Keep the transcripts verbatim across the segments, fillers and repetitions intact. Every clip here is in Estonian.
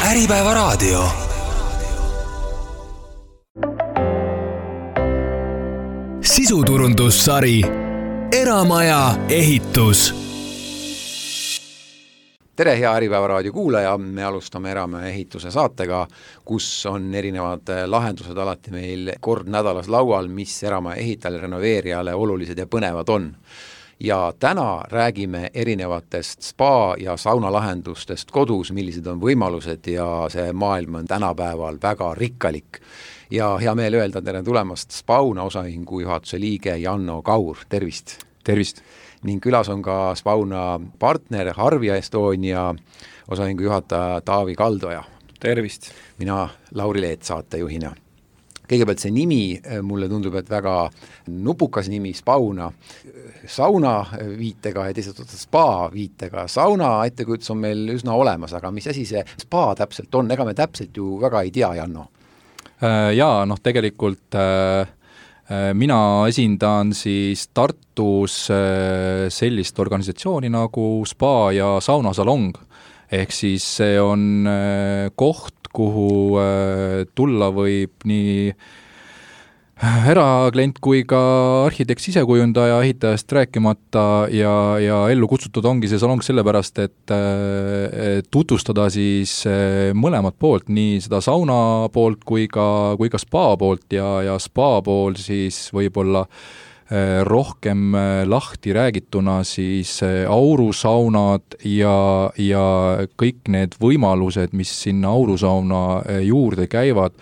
Äripäeva raadio. Sisuturundussari Eramaja ehitus. Tere, hea Äripäeva raadio kuulaja, me alustame Eramaja ehituse saatega, kus on erinevad lahendused alati meil kord nädalas laual, mis Eramaja ehitajale, renoveerijale olulised ja põnevad on. Ja täna räägime erinevatest spa- ja saunalahendustest kodus, millised on võimalused ja see maailm on tänapäeval väga rikkalik. Ja hea meel öelda tere tulemast Spauna osaühingu juhatuse liige Janno Kaur, tervist! Tervist! Ning külas on ka Spauna partner Harvia Estonia osaühingu juhataja Taavi Kaldoja. Tervist! Mina Lauri Leet saatejuhina. Kõigepealt see nimi, mulle tundub, et väga nupukas nimi, Spauna, sauna viitega ja teisalt spa viitega. Sauna ettekujutus on meil üsna olemas, aga mis asi see spa täpselt on? Ega me täpselt ju väga ei tea, Janno. Jaa, noh tegelikult äh, mina esindan siis Tartus äh, sellist organisatsiooni nagu spa ja saunasalong. Ehk siis see on äh, koht, kuhu äh, tulla võib nii eraklient kui ka arhitekt, sisekujundaja, ehitajast rääkimata ja, ja ellu kutsutud ongi see salong sellepärast, et äh, tutvustada siis äh, mõlemat poolt, nii seda sauna poolt kui ka, kui ka spa poolt ja, ja spa pool siis võib-olla äh, rohkem äh, lahti räägituna siis äh, aurusaunad ja, ja kõik need võimalused, mis sinna aurusauna äh, juurde käivad,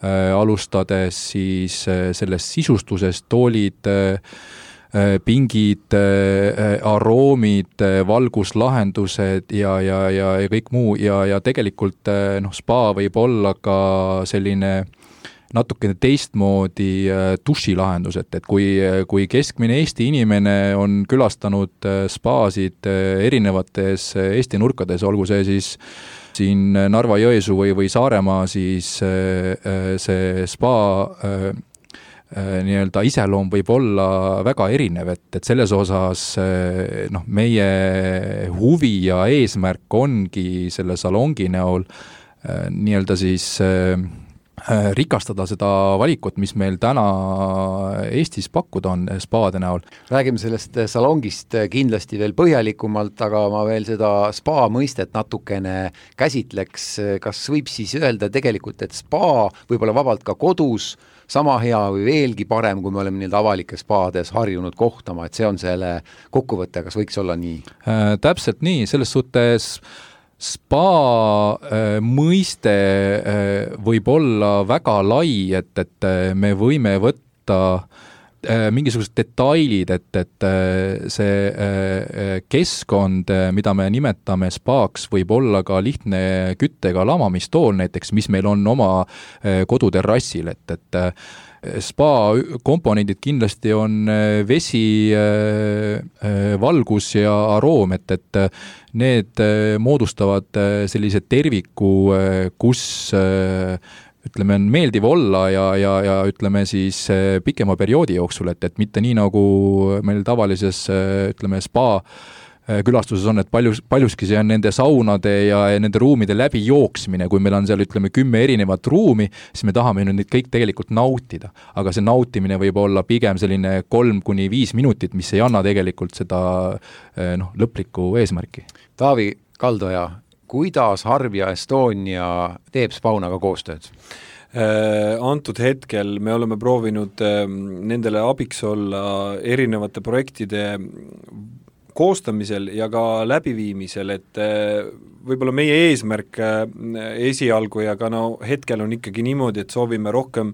Äh, alustades siis äh, sellest sisustusest, toolid, äh, pingid, äh, aroomid, äh, valguslahendused ja, ja, ja, ja kõik muu ja, ja tegelikult äh, noh, spa võib olla ka selline natukene teistmoodi äh, dušilahendus, et, et kui, kui keskmine Eesti inimene on külastanud äh, spaasid äh, erinevates äh, Eesti nurkades, olgu see siis siin Narva-Jõesuu või, või Saaremaa, siis see spa nii-öelda iseloom võib olla väga erinev, et, et selles osas noh, meie huvi ja eesmärk ongi selle salongi näol nii-öelda siis rikastada seda valikut, mis meil täna Eestis pakkuda on spaade näol. Räägime sellest salongist kindlasti veel põhjalikumalt, aga ma veel seda spa mõistet natukene käsitleks. Kas võib siis öelda tegelikult, et spa võib-olla vabalt ka kodus sama hea või veelgi parem, kui me oleme nii avalikes spaades harjunud kohtama, et see on selle kokkuvõte, kas võiks olla nii? Äh, täpselt nii, selles suhtes spa äh, mõiste äh, võib olla väga lai, et, et me võime võtta äh, mingisugused detailid, et, et äh, see äh, keskkond, mida me nimetame spaaks, võib olla ka lihtne küttega lamamistool näiteks, mis meil on oma äh, koduterrassil, et, et äh, spa komponendid kindlasti on vesi, valgus ja aroom, et, et need moodustavad sellise terviku, kus ütleme, on meeldiv olla ja, ja, ja ütleme siis pikema perioodi jooksul, et, et mitte nii nagu meil tavalises ütleme spa külastuses on, et paljus, paljuski see on nende saunade ja nende ruumide läbi jooksmine, kui meil on seal ütleme kümme erinevat ruumi, siis me tahame neid kõik tegelikult nautida, aga see nautimine võib olla pigem selline kolm kuni viis minutit, mis ei anna tegelikult seda noh, lõplikku eesmärki. Taavi Kaldoja, kuidas Harvia Estonia teeb Spaunaga koostööd? Antud hetkel me oleme proovinud nendele abiks olla erinevate projektide koostamisel ja ka läbiviimisel, et võib-olla meie eesmärk esialgu ja ka no hetkel on ikkagi niimoodi, et soovime rohkem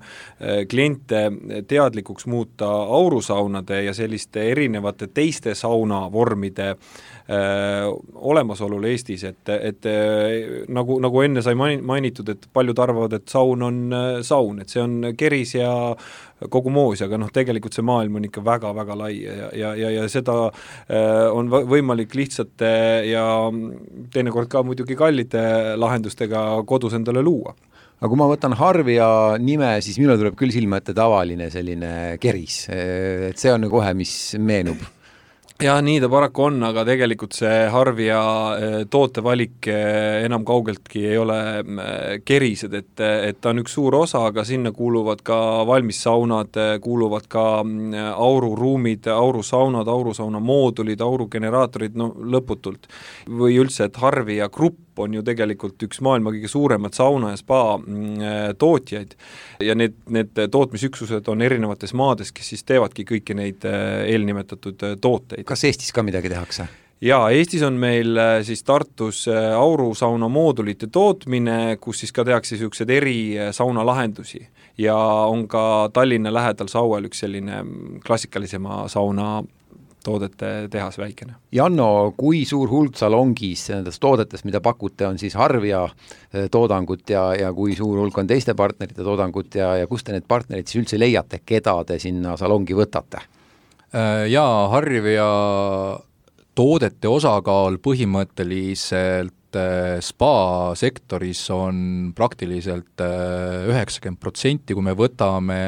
kliente teadlikuks muuta aurusaunade ja selliste erinevate teiste saunavormide äh, olemasolul Eestis, et, et nagu, nagu enne sai mainitud, et paljud arvavad, et saun on saun, et see on keris ja kogu moos, aga noh, tegelikult see maailm on ikka väga-väga lai ja, ja, ja, ja seda äh, on võimalik lihtsate ja teinekord ka muidugi kallite lahendustega kodus endale luua. Aga kui ma võtan Harvia nime, siis minul tuleb küll silma ette tavaline selline keris, et see on kohe, mis meenub. jah, nii ta paraku on, aga tegelikult see Harvia tootevalik enam kaugeltki ei ole kerised, et, et ta on üks suur osa, aga sinna kuuluvad ka valmissaunad, kuuluvad ka aururuumid, aurusaunad, aurusauna moodulid, aurugeneraatorid, no lõputult. Või üldse, et Harvia grupp on ju tegelikult üks maailma kõige suuremad sauna ja spa tootjaid ja need, need tootmisüksused on erinevates maades, kes siis teevadki kõiki neid eelnimetatud tooteid. Kas Eestis ka midagi tehakse? Jaa, Eestis on meil siis Tartus aurusauna moodulite tootmine, kus siis ka tehakse niisugused eri sauna lahendusi ja on ka Tallinna lähedal Sauel üks selline klassikalisema sauna toodete tehas väikene. Janno, kui suur hulk salongis nendest toodetest, mida pakute, on siis Harvia toodangut ja, ja kui suur hulk on teiste partnerite toodangut ja, ja kust te need partnerid siis üldse leiate, keda te sinna salongi võtate? Jaa, Harvia toodete osakaal põhimõtteliselt spa sektoris on praktiliselt üheksakümmend protsenti, kui me võtame,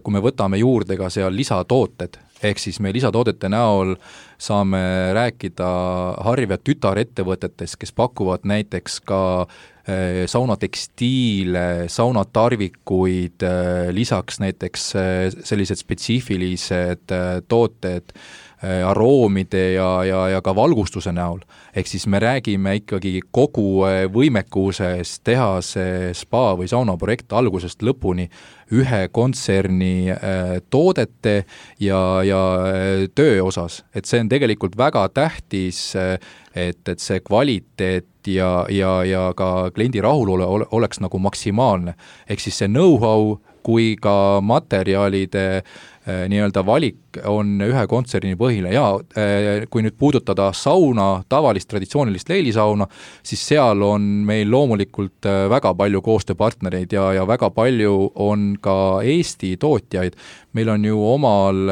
kui me võtame juurde ka seal lisatooted, ehk siis me lisatoodete näol saame rääkida Harvia tütarettevõtetest, kes pakuvad näiteks ka saunatekstiile, saunatarvikuid, lisaks näiteks sellised spetsiifilised tooted aroomide ja, ja, ja ka valgustuse näol. Ehk siis me räägime ikkagi kogu võimekusest teha see spa või saunaprojekt algusest lõpuni ühe kontserni toodete ja, ja töö osas. Et see on tegelikult väga tähtis, et, et see kvaliteet ja, ja, ja ka kliendi rahulole oleks nagu maksimaalne. Ehk siis see know-how kui ka materjalide nii-öelda valik on ühe kontserni põhiline ja kui nüüd puudutada sauna, tavalist traditsioonilist leilisauna, siis seal on meil loomulikult väga palju koostööpartnereid ja, ja väga palju on ka Eesti tootjaid. Meil on ju omal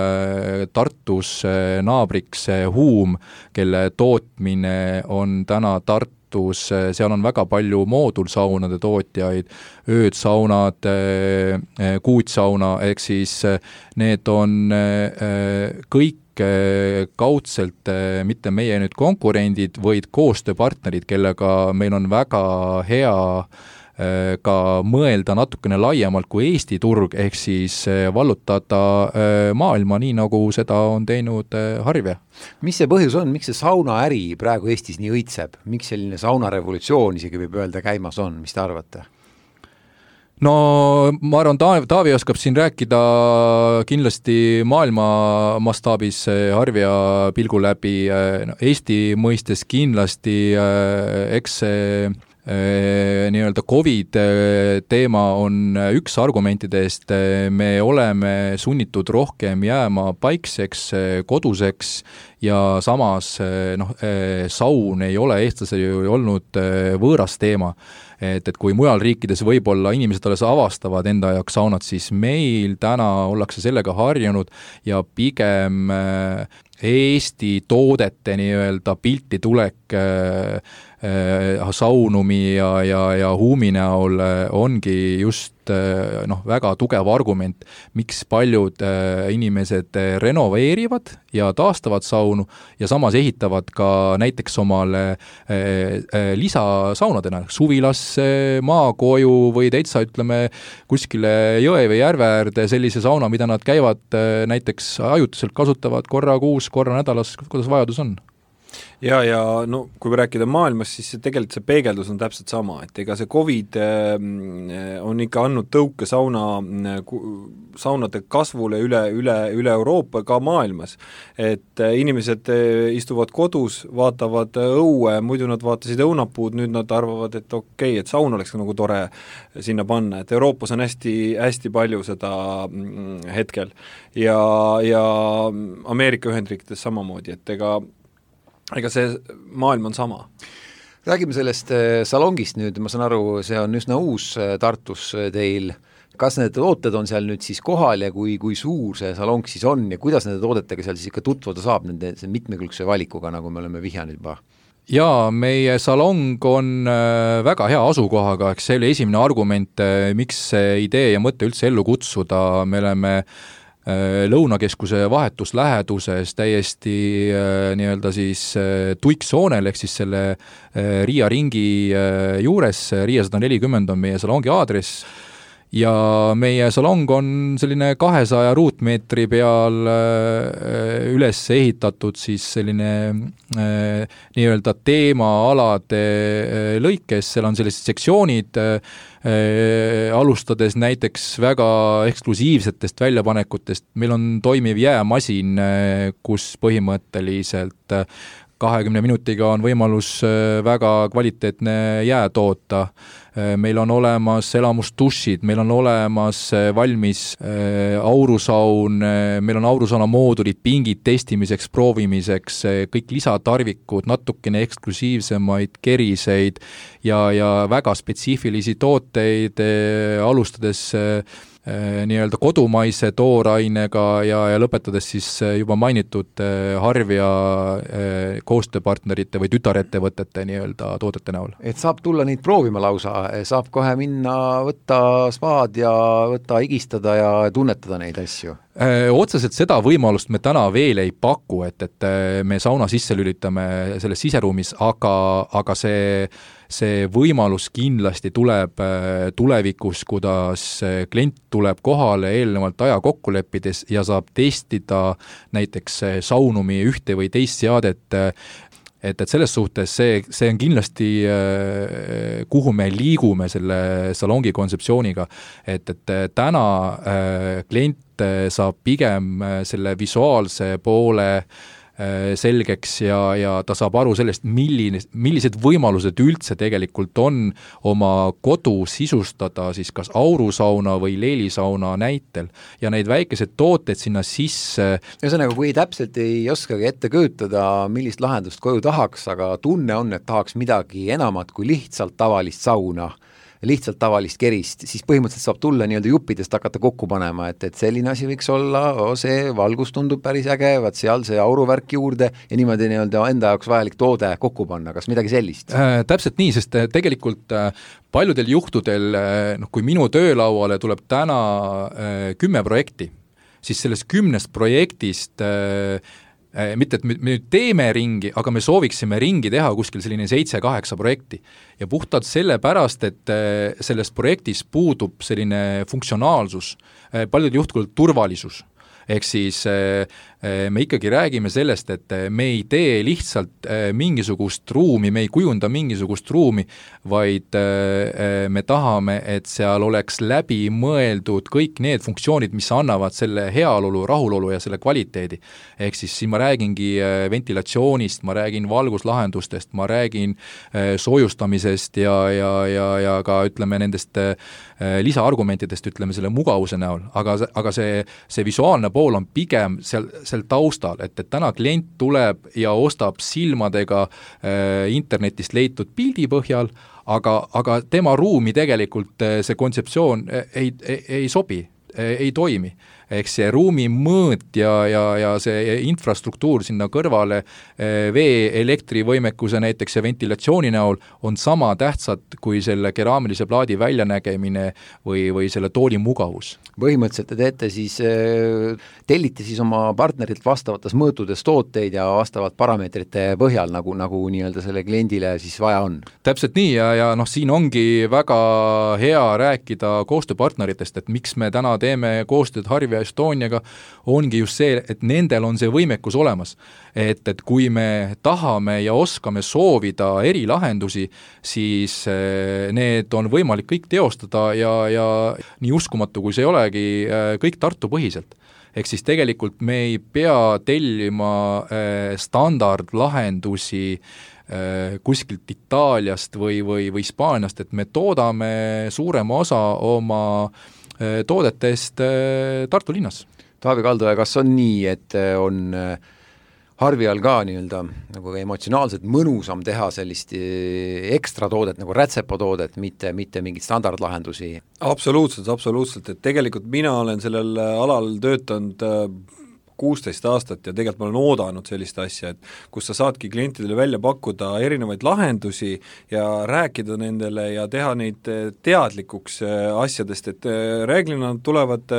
Tartus naabriks Huum, kelle tootmine on täna Tartu, seal on väga palju moodulsaunade tootjaid, öödsaunad, kuutsauna, ehk siis need on kõik kaudselt mitte meie nüüd konkurendid, vaid koostööpartnerid, kellega meil on väga hea ka mõelda natukene laiemalt kui Eesti turg, ehk siis vallutada maailma nii, nagu seda on teinud Harvia. Mis see põhjus on, miks see saunaäri praegu Eestis nii õitseb? Miks selline saunarevolutsioon isegi võib öelda käimas on, mis te arvate? No ma arvan, Taavi, Taavi oskab siin rääkida kindlasti maailma mastaabis Harvia pilgu läbi, Eesti mõistes kindlasti, eks see nii-öelda Covid teema on üks argumentidest, me oleme sunnitud rohkem jääma paikseks, koduseks ja samas noh, saun ei ole eestlasel ju olnud võõras teema. Et, et kui mujal riikides võib-olla inimesed alles avastavad enda jaoks saunat, siis meil täna ollakse sellega harjunud ja pigem Eesti toodete nii-öelda pilti tulek saunumi ja, ja, ja huumi näol ongi just noh, väga tugev argument, miks paljud inimesed renoveerivad ja taastavad saunu ja samas ehitavad ka näiteks omale lisasaunadena, suvilasse, maakoju või täitsa ütleme kuskile jõe või järve äärde sellise sauna, mida nad käivad näiteks ajutiselt kasutavad korra kuus, korra nädalas, kuidas vajadus on. Ja, ja no kui me rääkida maailmas, siis see tegelikult see peegeldus on täpselt sama, et ega see Covid on ikka andnud tõuke sauna, saunade kasvule üle, üle, üle Euroopa, ka maailmas. Et inimesed istuvad kodus, vaatavad õue, muidu nad vaatasid õunapuud, nüüd nad arvavad, et okei, et saun oleks nagu tore sinna panna, et Euroopas on hästi, hästi palju seda hetkel ja, ja Ameerika Ühendriikides samamoodi, et ega ega see maailm on sama. Räägime sellest salongist nüüd, ma saan aru, see on üsna uus Tartus teil. Kas need tooted on seal nüüd siis kohal ja kui, kui suur see salong siis on ja kuidas nende toodetega seal siis ikka tutvuda saab nende mitmekülgse valikuga, nagu me oleme vihjanud juba? Jaa, meie salong on väga hea asukohaga, eks see oli esimene argument, miks see idee ja mõte üldse ellu kutsuda. Me oleme Lõunakeskuse vahetus läheduses täiesti nii-öelda siis tuiksoonel, ehk siis selle Riia ringi juures, Riia sada nelikümmend on meie salongi aadress, ja meie salong on selline kahesaja ruutmeetri peal üles ehitatud siis selline nii-öelda teemaalade lõikes, seal on sellised sektsioonid, alustades näiteks väga eksklusiivsetest väljapanekutest. Meil on toimiv jäämasin, kus põhimõtteliselt kahekümne minutiga on võimalus väga kvaliteetne jää toota. Meil on olemas elamustušid, meil on olemas valmis aurusaun, meil on aurusauna moodulid, pingid testimiseks, proovimiseks, kõik lisatarvikud, natukene eksklusiivsemaid keriseid ja, ja väga spetsiifilisi tooteid, alustades nii-öelda kodumaise toorainega ja, ja lõpetades siis juba mainitud Harvia koostööpartnerite või tütarettevõtete nii-öelda toodete näol. Et saab tulla neid proovima lausa, saab kohe minna, võtta spaad ja võtta higistada ja tunnetada neid asju? Otseselt seda võimalust me täna veel ei paku, et, et me sauna sisse lülitame selles siseruumis, aga, aga see see võimalus kindlasti tuleb tulevikus, kuidas klient tuleb kohale eelnevalt aja kokku leppides ja saab testida näiteks saunumi ühte või teist seadet, et, et selles suhtes see, see on kindlasti, kuhu me liigume selle salongi kontseptsiooniga, et, et täna klient saab pigem selle visuaalse poole selgeks ja, ja ta saab aru sellest, milline, millised võimalused üldse tegelikult on oma kodu sisustada siis kas aurusauna või leelisauna näitel ja neid väikesed tooted sinna sisse. Ühesõnaga, kui täpselt ei oskagi ette kujutada, millist lahendust koju tahaks, aga tunne on, et tahaks midagi enamat kui lihtsalt tavalist sauna, lihtsalt tavalist kerist, siis põhimõtteliselt saab tulla nii-öelda juppidest hakata kokku panema, et, et selline asi võiks olla, see valgus tundub päris äge, vaat seal see auruvärk juurde ja niimoodi nii-öelda enda jaoks vajalik toode kokku panna, kas midagi sellist? Äh, täpselt nii, sest tegelikult äh, paljudel juhtudel, äh, noh, kui minu töölauale tuleb täna äh, kümme projekti, siis sellest kümnest projektist äh, mitte, et me nüüd teeme ringi, aga me sooviksime ringi teha kuskil selline seitse-kaheksa projekti. Ja puhtalt selle pärast, et selles projektis puudub selline funktsionaalsus, paljudel juhtkul turvalisus. Ehk siis me ikkagi räägime sellest, et me ei tee lihtsalt mingisugust ruumi, me ei kujunda mingisugust ruumi, vaid me tahame, et seal oleks läbi mõeldud kõik need funktsioonid, mis annavad selle heaolu, rahulolu ja selle kvaliteedi. Ehk siis siin ma räägingi ventilatsioonist, ma räägin valguslahendustest, ma räägin soojustamisest ja, ja, ja, ja ka ütleme nendest lisaargumentidest, ütleme selle mugavuse näol, aga, aga see, see visuaalne pool on pigem seal, seal taustal, et, et täna klient tuleb ja ostab silmadega äh, internetist leitud pildi põhjal, aga, aga tema ruumi tegelikult äh, see kontseptsioon äh, ei, ei, ei sobi, äh, ei toimi. Ehk see ruumi mõõt ja, ja, ja see infrastruktuur sinna kõrvale vee, elektrivõimekuse näiteks ja ventilatsiooni näol on sama tähtsad kui selle keraamilise plaadi väljanägemine või, või selle tooli mugavus. Põhimõtteliselt te teete siis, tellite siis oma partnerilt vastavates mõõtudes tooteid ja vastavalt parameetrite põhjal, nagu, nagu nii-öelda selle kliendile siis vaja on. Täpselt nii ja, ja noh, siin ongi väga hea rääkida koostööpartneritest, et miks me täna teeme koostööd Harvia Estoniaga, ongi just see, et nendel on see võimekus olemas. Et, et kui me tahame ja oskame soovida erilahendusi, siis need on võimalik kõik teostada ja, ja nii uskumatu, kui see ei olegi, kõik Tartu põhiselt. Ehk siis tegelikult me ei pea tellima standardlahendusi kuskilt Itaaliast või, või, või Hispaaniast, et me toodame suurema osa oma toodetest Tartu linnas. Taavi Kaldoja, kas on nii, et on Harvial ka nii-öelda nagu emotsionaalselt mõnusam teha sellist ekstra toodet nagu rätsepatoodet, mitte, mitte mingit standardlahendusi? Absoluutselt, absoluutselt, et tegelikult mina olen sellel alal töötanud kuusteist aastat ja tegelikult ma olen oodanud sellist asja, et kus sa saadki klientidele välja pakkuda erinevaid lahendusi ja rääkida nendele ja teha neid teadlikuks asjadest, et reeglina nad tulevad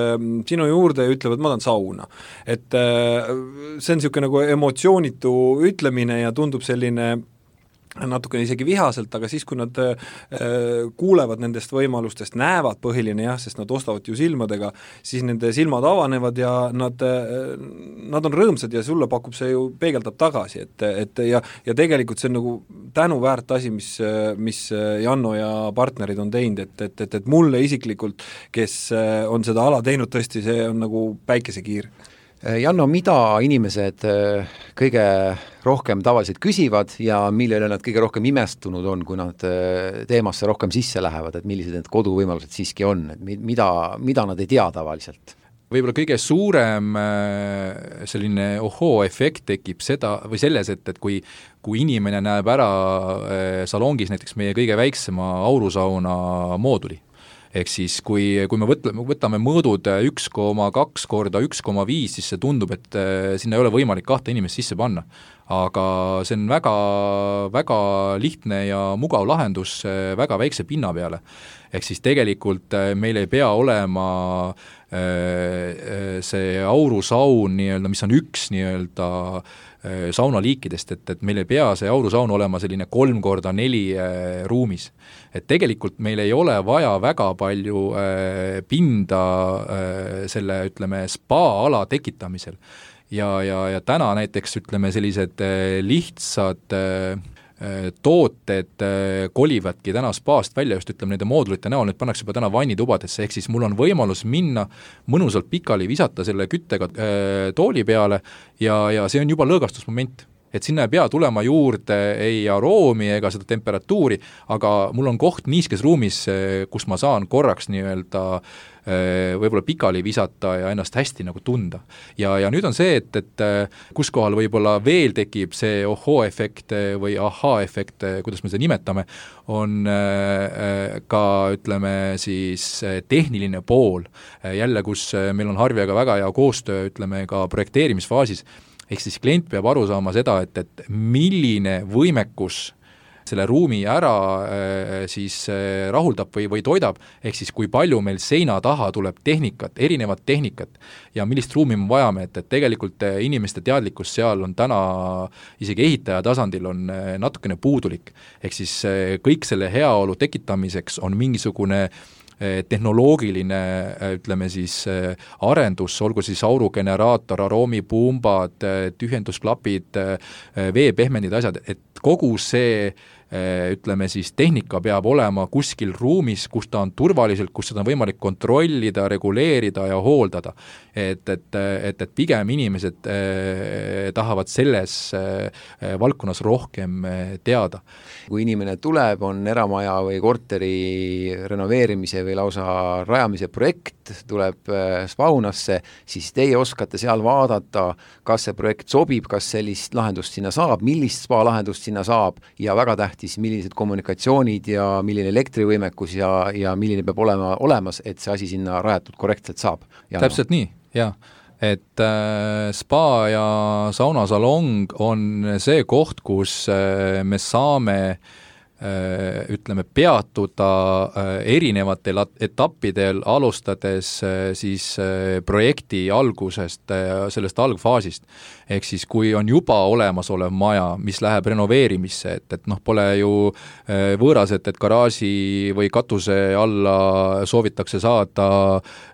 sinu juurde ja ütlevad, ma tahan sauna. Et see on niisugune nagu emotsioonitu ütlemine ja tundub selline natukene isegi vihaselt, aga siis, kui nad äh, kuulevad nendest võimalustest, näevad põhiline jah, sest nad ostavad ju silmadega, siis nende silmad avanevad ja nad, äh, nad on rõõmsad ja sulle pakub see ju, peegeldab tagasi, et, et ja, ja tegelikult see on nagu tänuväärt asi, mis, mis Janno ja partnerid on teinud, et, et, et, et mulle isiklikult, kes on seda ala teinud, tõesti see on nagu päikesekiir. Janno, mida inimesed kõige rohkem tavaliselt küsivad ja millele nad kõige rohkem imestunud on, kui nad teemasse rohkem sisse lähevad, et millised need koduvõimalused siiski on, et mida, mida nad ei tea tavaliselt? Võib-olla kõige suurem selline ohoo-efekt tekib seda, või selles, et, et kui, kui inimene näeb ära salongis näiteks meie kõige väiksema aurusauna mooduli, ehk siis kui, kui me võtame, võtame mõõdud üks koma kaks korda üks koma viis, siis see tundub, et sinna ei ole võimalik kahte inimest sisse panna. Aga see on väga, väga lihtne ja mugav lahendus väga väikse pinna peale. Ehk siis tegelikult meil ei pea olema see aurusaun, nii-öelda, mis on üks nii-öelda saunaliikidest, et, et meil ei pea see aurusaun olema selline kolm korda neli äh, ruumis. Et tegelikult meil ei ole vaja väga palju äh, pinda äh, selle, ütleme, spa-ala tekitamisel. Ja, ja, ja täna näiteks, ütleme, sellised äh, lihtsad äh, tooted kolivadki täna spaast välja, just ütleme nende moodulite näol, need pannakse juba täna vannitubadesse, ehk siis mul on võimalus minna mõnusalt pikali visata selle küttega tooli peale ja, ja see on juba lõõgastusmoment. Et sinna ei pea tulema juurde ei aroomi ega seda temperatuuri, aga mul on koht niiskes ruumis, kus ma saan korraks nii-öelda võib-olla pikali visata ja ennast hästi nagu tunda. Ja, ja nüüd on see, et, et kus kohal võib-olla veel tekib see ohoo-efekt või ahaa-efekt, kuidas me seda nimetame, on ka, ütleme siis, tehniline pool. Jälle, kus meil on Harviaga väga hea koostöö, ütleme ka projekteerimisfaasis, ehk siis klient peab aru saama seda, et, et milline võimekus selle ruumi ära siis rahuldab või, või toidab, ehk siis kui palju meil seina taha tuleb tehnikat, erinevat tehnikat ja millist ruumi me vajame, et, et tegelikult inimeste teadlikkus seal on täna isegi ehitaja tasandil on natukene puudulik. Ehk siis kõik selle heaolu tekitamiseks on mingisugune tehnoloogiline, ütleme siis, arendus, olgu siis aurugeneraator, aroomipumbad, tühjendusklapid, veepehmendid asjad, et kogu see, ütleme siis, tehnika peab olema kuskil ruumis, kus ta on turvaliselt, kus seda on võimalik kontrollida, reguleerida ja hooldada. Et, et, et, et pigem inimesed eh, tahavad selles eh, valdkonnas rohkem eh, teada. Kui inimene tuleb, on eramaja või korteri renoveerimise või lausa rajamise projekt, tuleb eh, spaunasse, siis teie oskate seal vaadata, kas see projekt sobib, kas sellist lahendust sinna saab, millist spa lahendust sinna saab ja väga tähtis, millised kommunikatsioonid ja milline elektrivõimekus ja, ja milline peab olema olemas, et see asi sinna rajatud korrektselt saab. Ja täpselt no. Nii, jah. Et äh, spa ja saunasalong on see koht, kus äh, me saame äh, ütleme, peatuda äh, erinevatel etappidel, alustades äh, siis äh, projekti algusest, äh, sellest algfaasist. Ehk siis, kui on juba olemas olev maja, mis läheb renoveerimisse, et, et noh, pole ju võõras, et, et garaaži või katuse alla soovitakse saada,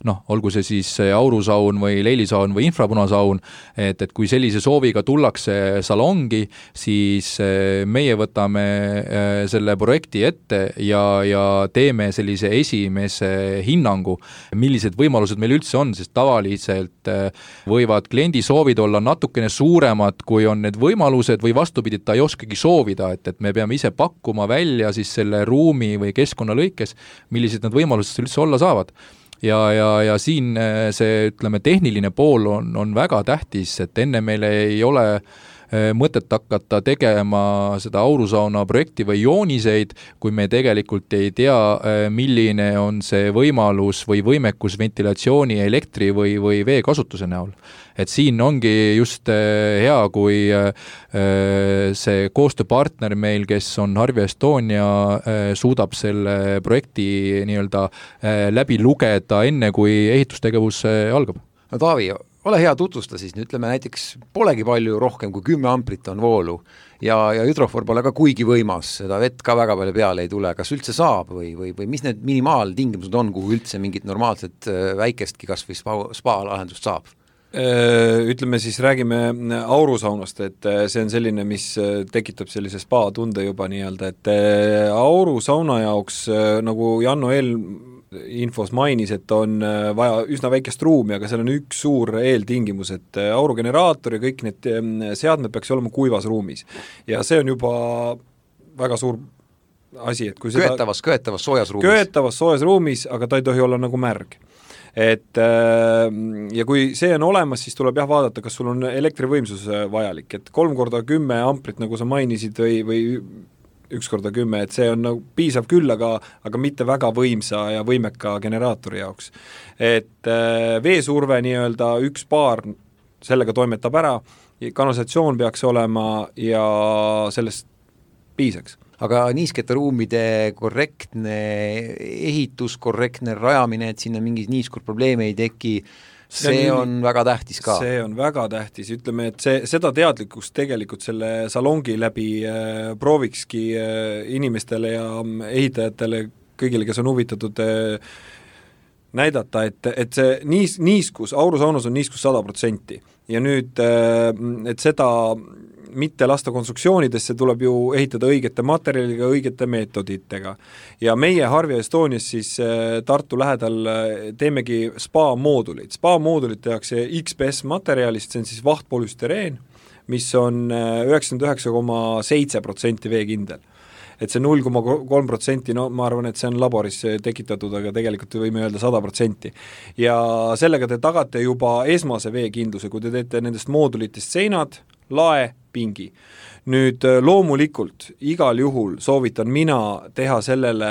noh, olgu see siis aurusaun või leilisaun või infrapunasaun, et, et kui sellise sooviga tullakse salongi, siis meie võtame selle projekti ette ja, ja teeme sellise esimese hinnangu, millised võimalused meil üldse on, sest tavaliselt võivad kliendi soovid olla natuke suuremad, kui on need võimalused või vastupidi, ta ei oskagi soovida, et, et me peame ise pakkuma välja siis selle ruumi või keskkonna lõikes, millised need võimalused üldse olla saavad. Ja, ja, ja siin see, ütleme, tehniline pool on, on väga tähtis, et enne meil ei ole mõtet hakata tegema seda aurusauna projekti või jooniseid, kui me tegelikult ei tea, milline on see võimalus või võimekus ventilatsiooni, elektri või, või vee kasutuse näol. Et siin ongi just hea, kui see koostööpartner meil, kes on Harvia Estonia, suudab selle projekti nii-öelda läbi lugeda enne, kui ehitustegevus algab. No Taavi, ole hea, tutvusta siis, ütleme näiteks polegi palju rohkem kui kümme amprit on voolu ja, ja hüdrofoor pole ka kuigi võimas, seda vett ka väga palju peale ei tule, kas üldse saab või, või, või mis need minimaaltingimused on, kuhu üldse mingit normaalset väikestki kas või spa, spa lahendust saab? Ütleme siis, räägime aurusaunast, et see on selline, mis tekitab sellise spa tunde juba nii-öelda, et aurusauna jaoks, nagu Janno eel infos mainis, et on vaja üsna väikest ruumi, aga seal on üks suur eeltingimus, et aurugeneraator ja kõik need seadmed peaks olema kuivas ruumis. Ja see on juba väga suur asi, et kui seda köetavas, köetavas soojas ruumis. Köetavas soojas ruumis, aga ta ei tohi olla nagu märg. Et ja kui see on olemas, siis tuleb jah vaadata, kas sul on elektrivõimsus vajalik, et kolm korda kümme amprit, nagu sa mainisid, või, või üks korda kümme, et see on nagu piisav küll, aga, aga mitte väga võimsa ja võimeka generaatori jaoks. Et veesurve nii-öelda üks paar sellega toimetab ära, kanalisatsioon peaks olema ja sellest piisaks. Aga niiskete ruumide korrektne ehitus, korrektne rajamine, et sinna mingi niiskur probleeme ei teki, see, see on, on väga tähtis ka. See on väga tähtis, ütleme, et see, seda teadlikkust tegelikult selle salongi läbi äh, proovikski äh, inimestele ja ehitajatele, kõigile, kes on huvitatud äh, näidata, et, et see niis, niiskus, aurusaunas on niiskus sada protsenti ja nüüd, äh, et seda mitte lasta konstruktsioonidesse, tuleb ju ehitada õigete materjaliga, õigete meetoditega. Ja meie Harvia Estonias siis Tartu lähedal teemegi spa-moodulid. Spa-moodulid tehakse X P S materjalist, see on siis vahtpolüstereen, mis on üheksakümmend üheksa koma seitse protsenti veekindel. Et see null koma kolm protsenti, no ma arvan, et see on laboris tekitatud, aga tegelikult võime öelda sada protsenti. Ja sellega te tagate juba esmase veekindluse, kui te teete nendest moodulitest seinad, lae, pingi. Nüüd loomulikult igal juhul soovitan mina teha sellele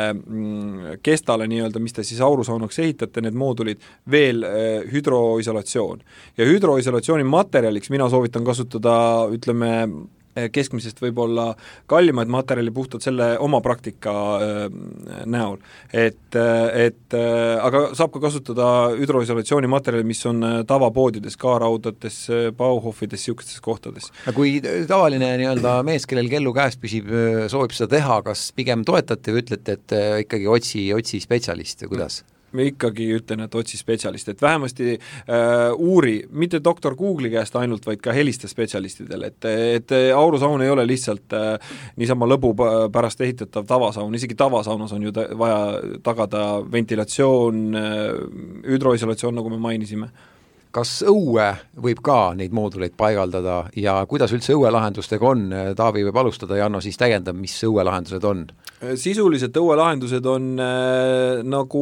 kestale nii-öelda, mis te siis aurusaunaks ehitate, need moodulid, veel hüdroisolatsioon. Ja hüdroisolatsiooni materjaliks mina soovitan kasutada, ütleme, keskmisest võib-olla kallimaid materjali puhtalt selle oma praktika äh, näol. Et, et äh, aga saab ka kasutada hüdroisolatsiooni materjali, mis on tavapoodides, K-raudades, Bauhofides, siukestes kohtades. Kui tavaline nii-öelda mees, kellel kellu käes püsib, soovib seda teha, kas pigem toetate või ütlete, et ikkagi otsi, otsi spetsialist või kuidas? Me ikkagi ütlen, et otsi spetsialist, et vähemasti äh, uuri, mitte doktor Google'i käest ainult, vaid ka helista spetsialistidele, et, et aurusaun ei ole lihtsalt äh, niisama lõbu pärast ehitatav tavasaun, isegi tavasaunas on ju ta, vaja tagada ventilatsioon, äh, hüdroisolatsioon, nagu me mainisime. Kas õue võib ka neid mooduleid paigaldada ja kuidas üldse õuelahendustega on? Taavi võib alustada ja Janno siis täiendab, mis õuelahendused on? Sisuliselt õuelahendused on äh, nagu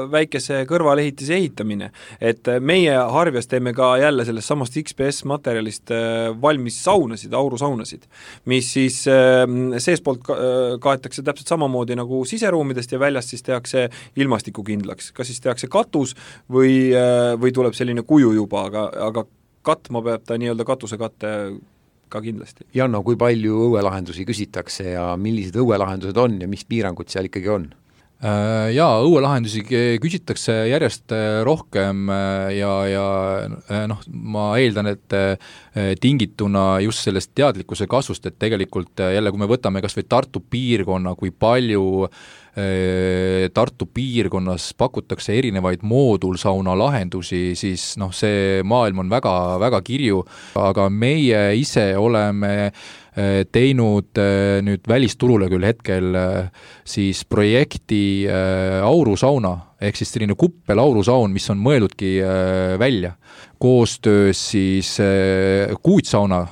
väikese kõrvalehitise ehitamine, et meie Harvias teeme ka jälle sellest samast X P S materjalist äh, valmis saunasid, aurusaunasid, mis siis äh, seespoolt ka, äh, kaetakse täpselt samamoodi nagu siseruumidest ja väljast siis tehakse ilmastikukindlaks, kas siis tehakse katus või, äh, või tuleb selline kuju juba, aga, aga katma peab ta nii-öelda katusekatte ka kindlasti. Janno, kui palju õuelahendusi küsitakse ja millised õuelahendused on ja mis piirangud seal ikkagi on? Jaa, õuelahendusi küsitakse järjest rohkem ja, ja noh, ma eeldan, et tingituna just sellest teadlikkuse kasvust, et tegelikult jälle, kui me võtame kas või Tartu piirkonna, kui palju Tartu piirkonnas pakutakse erinevaid moodulsauna lahendusi, siis noh, see maailm on väga, väga kirju, aga meie ise oleme teinud nüüd välisturule küll hetkel siis projekti aurusauna, ehk siis selline kuppel aurusaun, mis on mõeldudki välja. Koostöös siis Kuutsauna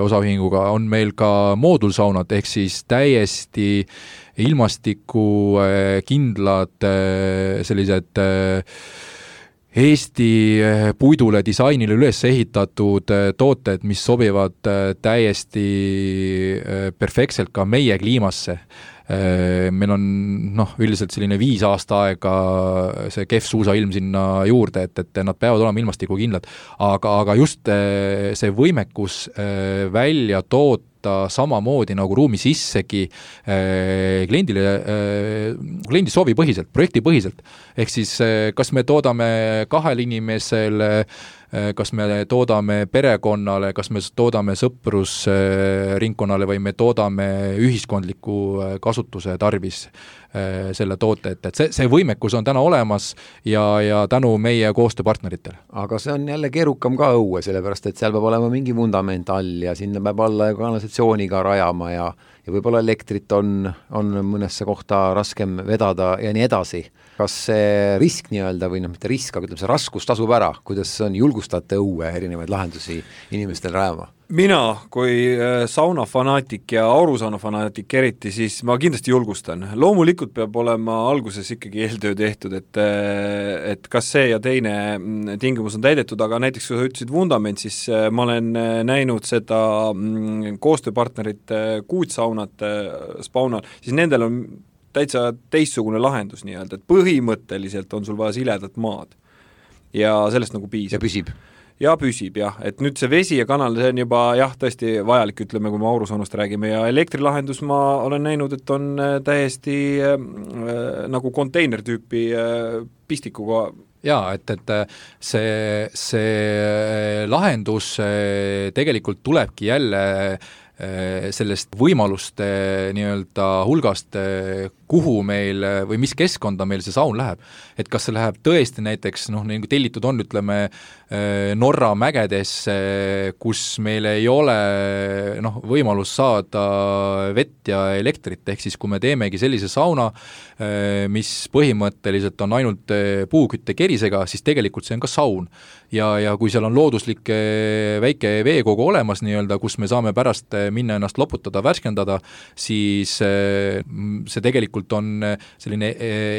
osaühinguga on meil ka moodulsaunad, ehk siis täiesti ilmastiku kindlad sellised Eesti puidule disainile üles ehitatud tooted, mis sobivad täiesti perfektselt ka meie kliimasse. Meil on noh, üldiselt selline viis aasta aega see kehv suusailm sinna juurde, et, et nad peavad olema ilmastikukindlad, aga, aga just see võimekus välja toota samamoodi nagu ruumi sissegi kliendile, kliendi soovi põhiselt, projekti põhiselt. Ehk siis kas me toodame kahel inimesele, kas me toodame perekonnale, kas me toodame sõprusringkonnale või me toodame ühiskondliku kasutuse tarvis selle toote, et, et see, see võimekus on täna olemas ja, ja tänu meie koostööpartneritele. Aga see on jälle keerukam ka õue, sellepärast et seal peab olema mingi vundament all ja sinna peab alla kanalisatsiooniga rajama ja, ja võib-olla elektrit on, on mõnesse kohta raskem vedada ja nii edasi. Kas see risk nii-öelda või noh, mitte risk, aga ütleme, see raskus tasub ära, kuidas on julgustate õue erinevaid lahendusi inimestel rajama? Mina kui saunafanaatik ja aurusaunafanatik eriti, siis ma kindlasti julgustan. Loomulikult peab olema alguses ikkagi eeltöö tehtud, et, et kas see ja teine tingimus on täidetud, aga näiteks kui sa ütlesid vundament, siis ma olen näinud seda koostööpartnerit kuutsaunat spaunal, siis nendel on täitsa teistsugune lahendus nii-öelda, et põhimõtteliselt on sul vaja siledat maad ja sellest nagu piisab. Ja püsib. Ja püsib, jah. Et nüüd see vesi ja kanal, see on juba jah, tõesti vajalik, ütleme, kui me aurusaunast räägime ja elektrilahendus ma olen näinud, et on täiesti äh, nagu konteinertüüpi äh, pistikuga. Jaa, et, et see, see lahendus tegelikult tulebki jälle sellest võimaluste nii-öelda hulgast, kuhu meil või mis keskkonda meil see saun läheb. Et kas see läheb tõesti näiteks, noh, nagu tellitud on, ütleme, Norra mägedesse, kus meil ei ole noh, võimalus saada vett ja elektrit, ehk siis kui me teemegi sellise sauna, mis põhimõtteliselt on ainult puukütte kerisega, siis tegelikult see on ka saun. Ja, ja kui seal on looduslik väike veekogu olemas nii-öelda, kus me saame pärast minna ennast loputada, värskendada, siis see tegelikult on selline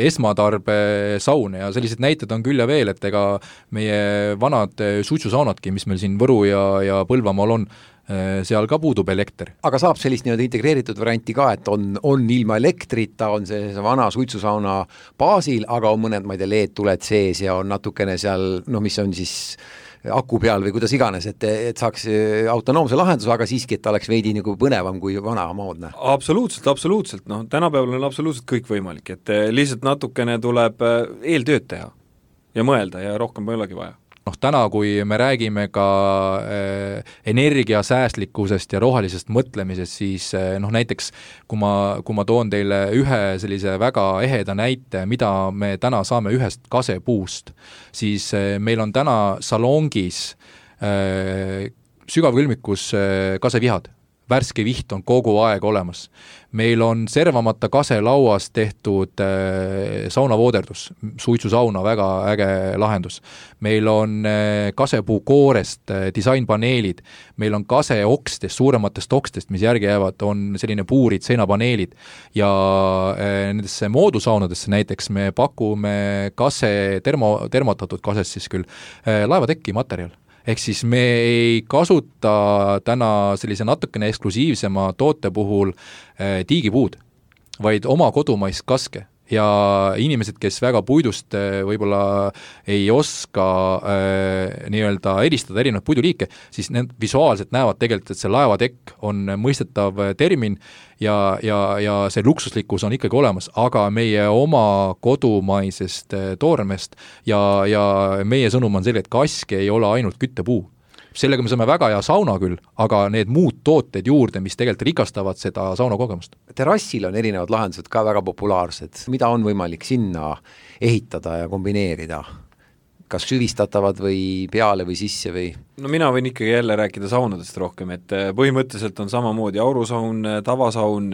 esmatarbe saun ja sellised näited on küll ja veel, et ega meie vanad suitsusaunadki, mis meil siin Võru ja, ja Põlvamaal on, seal ka puudub elekter. Aga saab sellist nii-öelda integreeritud varianti ka, et on, on ilma elektrita, on see, see vana suitsusauna baasil, aga on mõned, ma ei tea, L E D-tuled sees ja on natukene seal, no mis on siis aku peal või kuidas iganes, et, et saaks autonoomse lahenduse, aga siiski, et ta oleks veidi nagu põnevam kui vana moodne. Absoluutselt, absoluutselt. No, tänapäeval on absoluutselt kõik võimalik, et lihtsalt natukene tuleb eeltööd teha ja mõelda ja rohkem ei olegi vaja. Noh, täna, kui me räägime ka äh, energiasäästlikkusest ja rohelisest mõtlemisest, siis äh, noh, näiteks kui ma, kui ma toon teile ühe sellise väga eheda näite, mida me täna saame ühest kasepuust, siis äh, meil on täna salongis äh, sügavkülmikus äh, kasevihad. Värske viht on kogu aeg olemas. Meil on servamata kaselauas tehtud äh, saunavooderdus, suitsusauna, väga äge lahendus. Meil on äh, kasepuu koorest äh, disainpaneelid, meil on kaseokstest, suurematest okstest, mis järgi jäävad, on selline puurid, seinapaneelid ja äh, nendesse moodusaunadesse näiteks me pakume kase, termo, termotatud kasest siis küll, äh, laevatekki materjal. Ehk siis me ei kasuta täna sellise natukene eksklusiivsema toote puhul äh, tiigipuud, vaid oma kodumaist kaske. Ja inimesed, kes väga puidust äh, võib-olla ei oska äh, nii-öelda eristada erinevad puiduliike, siis need visuaalselt näevad tegelikult, et see laevatekk on mõistetav termin ja, ja, ja see luksuslikkus on ikkagi olemas, aga meie oma kodumaisest toormest ja, ja meie sõnum on selline, et kaske ei ole ainult küttepuu. Sellega me saame väga hea sauna küll, aga need muud tooted juurde, mis tegelikult rikastavad seda sauna kogemust. Terrassil on erinevad lahendused ka väga populaarsed. Mida on võimalik sinna ehitada ja kombineerida? Kas süvistatavad või peale või sisse või? No mina võin ikkagi jälle rääkida saunadest rohkem, et põhimõtteliselt on samamoodi aurusaun, tavasaun,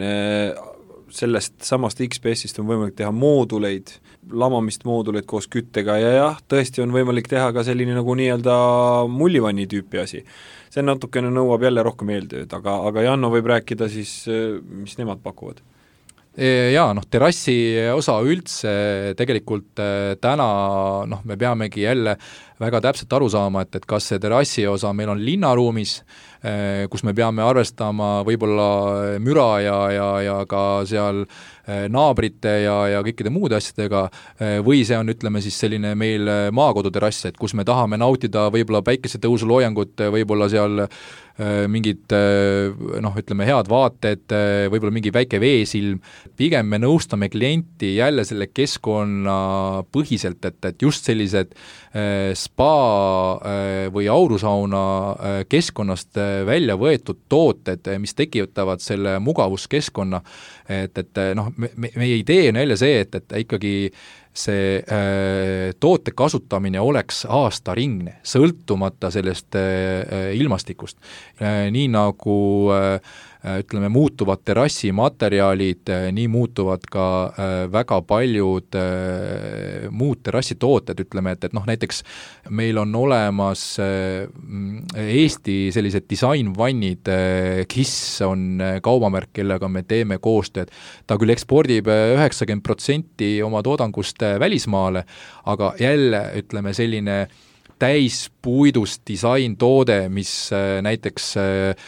sellest samast X P S-ist on võimalik teha mooduleid, lamamist mooduleid koos küttega ja jah, tõesti on võimalik teha ka selline nagu nii-öelda mullivanni tüüpi asi. See natukene nõuab jälle rohkem eeltööd, aga, aga Janno võib rääkida siis, mis nemad pakuvad. Jaa, noh, terrassi osa üldse tegelikult täna noh, me peamegi jälle väga täpselt aru saama, et, et kas see terrassi osa meil on linnaruumis, kus me peame arvestama võib-olla müra ja, ja, ja ka seal naabrite ja, ja kõikide muude asjadega, või see on, ütleme siis selline meil maakodu terrass, et kus me tahame nautida võib-olla päikesetõusu loojangut, võib-olla seal mingid noh, ütleme head vaated, võib-olla mingi väike veesilm, pigem me nõustame klienti jälle selle keskkonna põhiselt, et, et just sellised spa või aurusauna keskkonnast välja võetud tooted, mis tekitavad selle mugavuskeskkonna, et, et noh, me, meie idee on jälle see, et, et ikkagi see äh, toote kasutamine oleks aastaringne, sõltumata sellest äh, ilmastikust. Äh, nii nagu äh, ütleme, muutuvad terrassimaterjalid, nii muutuvad ka äh, väga paljud äh, muud terrassitooted, ütleme, et, et noh, näiteks meil on olemas äh, Eesti sellised disainvannid, äh, Kiss on äh, kaubamärk, kellega me teeme koostööd. Ta küll ekspordib üheksakümmend protsenti oma toodangust äh, välismaale, aga jälle, ütleme, selline täispuidust disaintoode, mis äh, näiteks äh,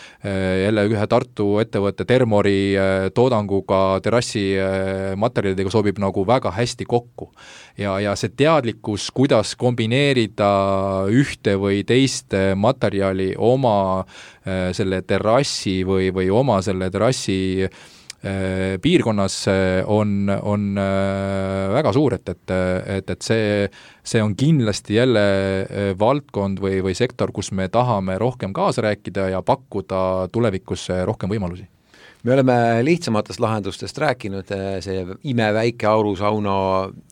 jälle ühe Tartu ettevõtte Termori äh, toodanguga terrassi äh, materjalidega sobib nagu väga hästi kokku. Ja, ja see teadlikkus, kuidas kombineerida ühte või teist materjali oma äh, selle terrassi või, või oma selle terrassi piirkonnas on, on väga suur, et, et, et, et see, see on kindlasti jälle valdkond või, või sektor, kus me tahame rohkem kaasa rääkida ja pakkuda tulevikus rohkem võimalusi. Me oleme lihtsamatest lahendustest rääkinud, see imeväike aurusauna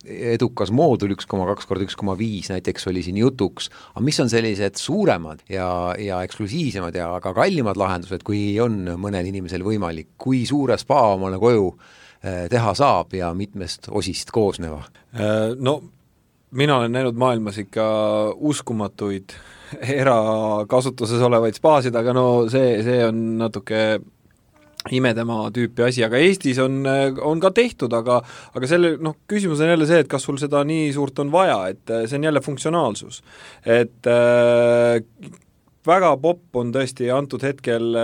edukas moodul üks koma kaks korda üks koma viis näiteks oli siin jutuks, aga mis on sellised suuremad ja, ja eksklusiivsemad ja ka kallimad lahendused, kui on mõnel inimesel võimalik, kui suure spa omale koju teha saab ja mitmest osist koosneva? No mina olen näinud maailmas ikka uskumatuid erakasutuses olevaid spaasid, aga no see, see on natuke imedema tüüpi asi, aga Eestis on, on ka tehtud, aga, aga selle noh, küsimus on jälle see, et kas sul seda nii suurt on vaja, et see on jälle funktsionaalsus. Et äh, väga popp on tõesti antud hetkel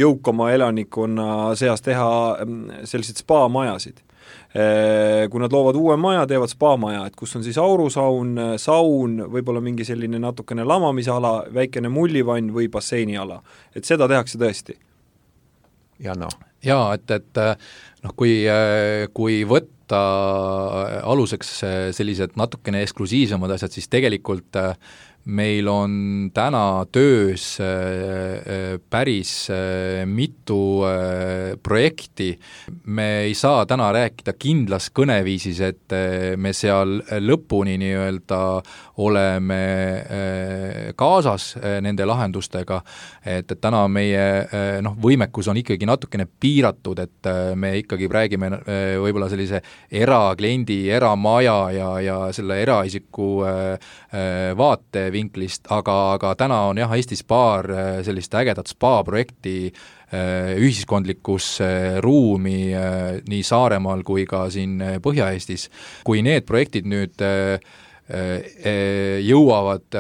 jõukama elanikkonna seas teha sellised spa-majasid. Kui nad loovad uue maja, teevad spa-maja, et kus on siis aurusaun, saun, võib-olla mingi selline natukene lamamisala, väikene mullivann või basseiniala. Et seda tehakse tõesti. Janno. Jaa, et, et noh, kui, kui võtta aluseks sellised natukene eksklusiivsemad asjad, siis tegelikult meil on täna töös päris mitu projekti. Me ei saa täna rääkida kindlas kõneviisis, et me seal lõpuni nii-öelda oleme kaasas nende lahendustega, et, et täna meie noh, võimekus on ikkagi natukene piiratud, et me ikkagi räägime võib-olla sellise erakliendi, eramaja ja, ja selle eraisiku vaate vinklist, aga, aga täna on jah, Eestis paar sellist ägedat spa-projekti ühiskondlikus ruumi nii Saaremaal kui ka siin Põhja-Eestis. Kui need projektid nüüd jõuavad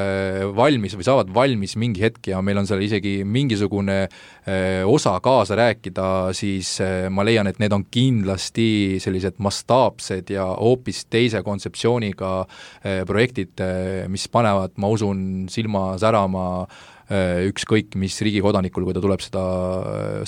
valmis või saavad valmis mingi hetk ja meil on seal isegi mingisugune osa kaasa rääkida, siis ma leian, et need on kindlasti sellised mastaapsed ja hoopis teise kontseptsiooniga projektid, mis panevad, ma usun, silma särama ükskõik mis riigi kodanikul, kui ta tuleb seda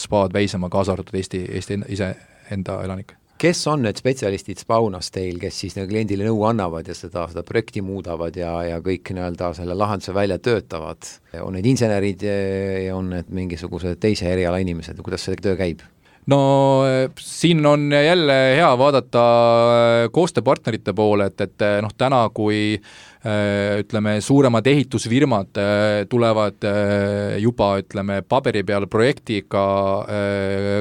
spaad väisema, kaasa arvatud Eesti, Eesti ise enda elanik. Kes on need spetsialistid spaunas teil, kes siis kliendile nõu annavad ja seda, seda projekti muudavad ja, ja kõik nii-öelda selle lahenduse välja töötavad? On need insenerid ja on need mingisugused teise eriala inimesed, kuidas see töö käib? No siin on jälle hea vaadata koostööpartnerite poole, et, et noh, täna kui ütleme, suuremad ehitusfirmad tulevad juba, ütleme, paberi peal projektiga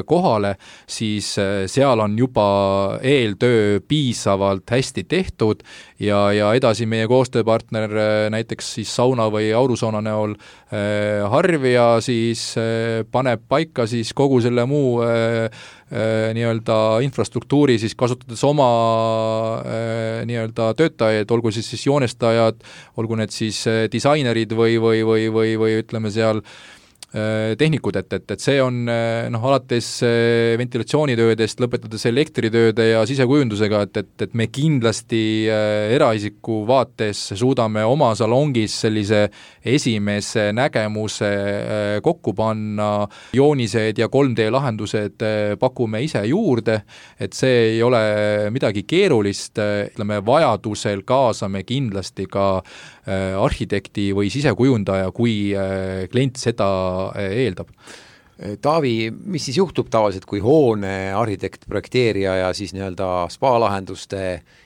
kohale, siis seal on juba eeltöö piisavalt hästi tehtud ja, ja edasi meie koostööpartner näiteks siis sauna või aurusauna näol Harvia siis paneb paika siis kogu selle muu nii-öelda infrastruktuuri siis kasutades oma nii-öelda töötajaid, olgu siis siis joonestajad, olgu need siis disainerid või, või, või, või, või ütleme seal tehnikud, et, et, et see on noh, alates ventilatsioonitöödest, lõpetades elektritööde ja sisekujundusega, et, et, et me kindlasti eraisiku vaates suudame oma salongis sellise esimese nägemuse kokku panna, joonised ja kolm D lahendused pakume ise juurde, et see ei ole midagi keerulist, ütleme, vajadusel kaasame kindlasti ka arhitekti või sisekujundaja, kui klient seda eeldab. Taavi, mis siis juhtub tavaliselt, kui hoone arhitekt, projekteerija ja siis nii-öelda spa-lahenduste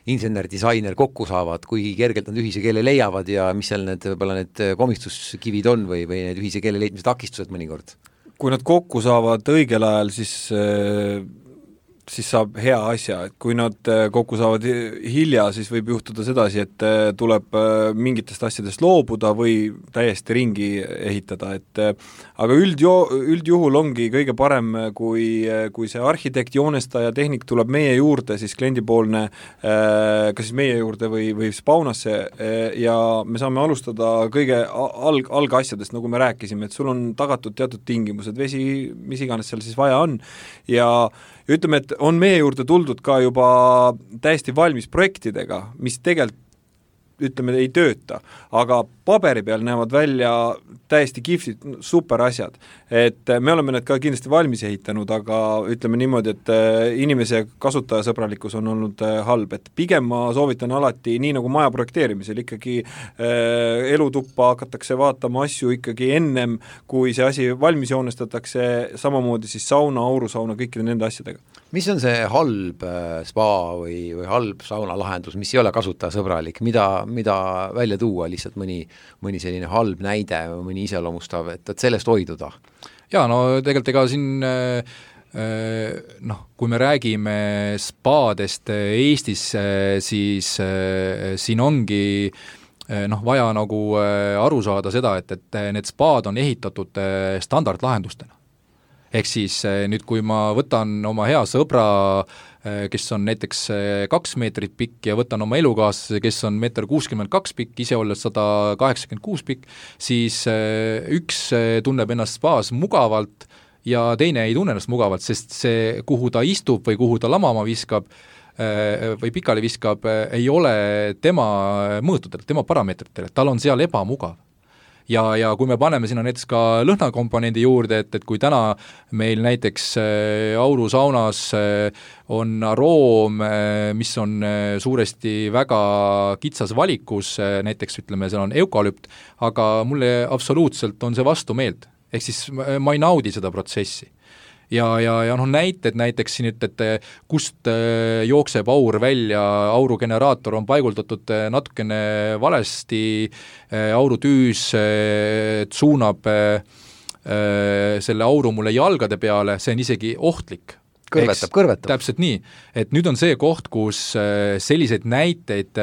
insener-disainer kokku saavad, kui kergelt nad ühise keele leiavad ja mis seal need, võib-olla need komistuskivid on või, või need ühise keele leidmise takistused mõnikord? Kui nad kokku saavad õigel ajal, siis siis saab hea asja, et kui nad kokku saavad hilja, siis võib juhtuda sedasi, et tuleb mingitest asjadest loobuda või täiesti ringi ehitada, et aga üldjo-, üldjuhul ongi kõige parem, kui, kui see arhitekt, joonestaja, tehnik tuleb meie juurde, siis kliendipoolne, kas siis meie juurde või, või spaunasse ja me saame alustada kõige alg, algasjadest, nagu me rääkisime, et sul on tagatud teatud tingimused, vesi, mis iganes seal siis vaja on ja ütleme, et on meie juurde tuldud ka juba täiesti valmis projektidega, mis tegelikult ütleme, ei tööta, aga paberi peal näevad välja täiesti kihvsid, super asjad. Et me oleme need ka kindlasti valmis ehitanud, aga ütleme niimoodi, et inimese kasutajasõbralikkus on olnud halb, et pigem ma soovitan alati, nii nagu maja projekteerimisel, ikkagi äh, elutuppa hakatakse vaatama asju ikkagi ennem, kui see asi valmis joonestatakse, samamoodi siis sauna, aurusauna, kõikide nende asjadega. Mis on see halb spa või, või halb sauna lahendus, mis ei ole kasutajasõbralik, mida, mida välja tuua, lihtsalt mõni, mõni selline halb näide, mõni iseloomustav, et, et sellest hoiduda? Jaa, no tegelikult ega siin noh, kui me räägime spaadest Eestis, siis siin ongi noh, vaja nagu aru saada seda, et, et need spaad on ehitatud standardlahendustena. Ehk siis nüüd, kui ma võtan oma hea sõbra, kes on näiteks kaks meetrit pikk ja võtan oma elukaaslase, kes on meeter kuuskümmend kaks pikk, ise olles sada kaheksakümmend kuus pikk, siis üks tunneb ennast spaas mugavalt ja teine ei tunne ennast mugavalt, sest see, kuhu ta istub või kuhu ta lamama viskab või pikali viskab, ei ole tema mõõtudel, tema parameetritel, tal on seal ebamugav. Ja, ja kui me paneme sinna näiteks ka lõhnakomponendi juurde, et, et kui täna meil näiteks aurusaunas on aroom, mis on suuresti väga kitsas valikus, näiteks ütleme, seal on eukalüpt, aga mulle absoluutselt on see vastumeelt. Ehk siis ma ei naudi seda protsessi. Ja, ja, ja noh, näited näiteks siin, et, et kust jookseb aur välja, aurugeneraator on paiguldatud natukene valesti, aurutüüs suunab selle auru mulle jalgade peale, see on isegi ohtlik. Kõrvetab, kõrvetab. Täpselt nii, et nüüd on see koht, kus selliseid näiteid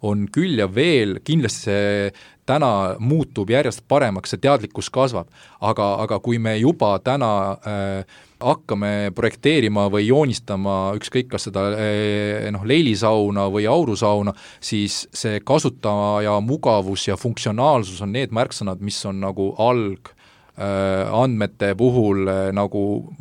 on küll ja veel, kindlasti see täna muutub järjest paremaks, see teadlikkus kasvab, aga, aga kui me juba täna äh, hakkame projekteerima või joonistama ükskõik kas seda äh, noh, leilisauna või aurusauna, siis see kasutaja mugavus ja funktsionaalsus on need märksõnad, mis on nagu alg andmete puhul nagu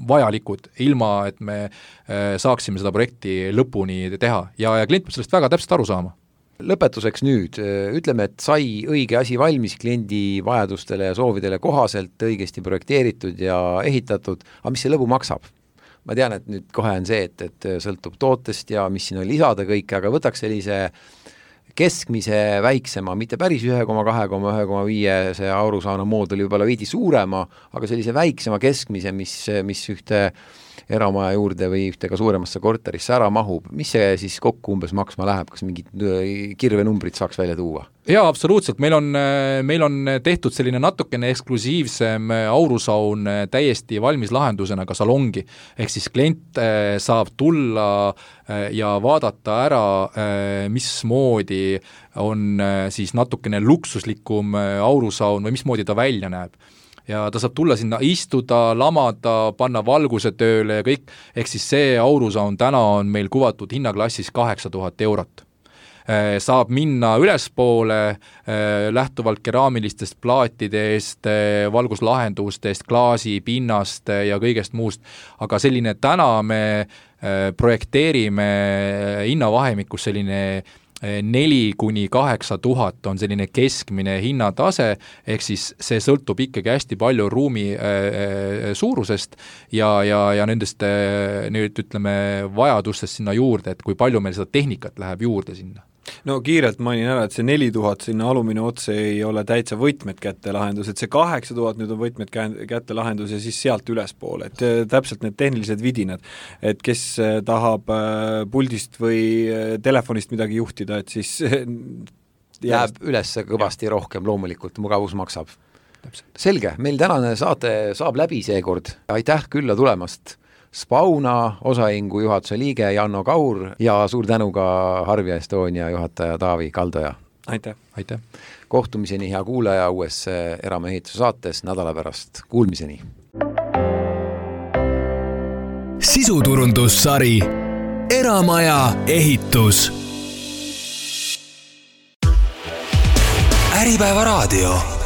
vajalikud, ilma et me saaksime seda projekti lõpuni teha ja, ja klient peab sellest väga täpselt aru saama. Lõpetuseks nüüd, ütleme, et sai õige asi valmis kliendi vajadustele ja soovidele kohaselt, õigesti projekteeritud ja ehitatud, aga mis see lõbu maksab? Ma tean, et nüüd kohe on see, et, et sõltub tootest ja mis siin on lisada kõik, aga võtaks sellise keskmise väiksema, mitte päris üks koma kaks koma üks koma viis see aurusauna mooduli võib-olla veidi suurema, aga sellise väiksema keskmise, mis, mis ühte eramaja juurde või ühte ka suuremasse korterisse ära mahub, mis see siis kokku umbes maksma läheb, kas mingid kirvenumbrid saaks välja tuua? Jaa, absoluutselt, meil on, meil on tehtud selline natukene eksklusiivsem aurusaun täiesti valmis lahendusena ka salongi, ehk siis klient saab tulla ja vaadata ära, mismoodi on siis natukene luksuslikum aurusaun või mismoodi ta välja näeb. Ja ta saab tulla sinna istuda, lamada, panna valguse tööle ja kõik, ehk siis see aurusaun täna on meil kuvatud hinnaklassis kaheksa tuhat eurot. Saab minna ülespoole lähtuvalt keraamilistest plaatidest, valguslahendustest, klaasi, pinnast ja kõigest muust, aga selline täna me projekteerime hinnavahemikus selline neli kuni kaheksa tuhat on selline keskmine hinnatase, ehk siis see sõltub ikkagi hästi palju ruumi suurusest ja, ja, ja nendest nüüd ütleme vajadustest sinna juurde, et kui palju meil seda tehnikat läheb juurde sinna. No kiirelt mainin ära, et see neli tuhat sinna alumine otse ei ole täitsa võtmed kätte lahendus, et see kaheksa tuhat nüüd on võtmed kätte lahendus ja siis sealt ülespoole, et täpselt need tehnilised vidinad, et kes tahab puldist või telefonist midagi juhtida, et siis jääb üles kõvasti ja. Rohkem, loomulikult mugavus maksab. Täpselt. Selge, meil tänane saate saab läbi seekord, aitäh külla tulemast Spauna osahingu juhatuse liige Janno Kaur ja suur tänu ka Harvia Estonia juhataja Taavi Kaldoja. Aitäh. Aitäh. Kohtumiseni, hea kuulaja, uues Eramaa ehituse saates nädala pärast. Kuulmiseni. Sisuturundussari Eramaja ehitus. Äripäeva raadio.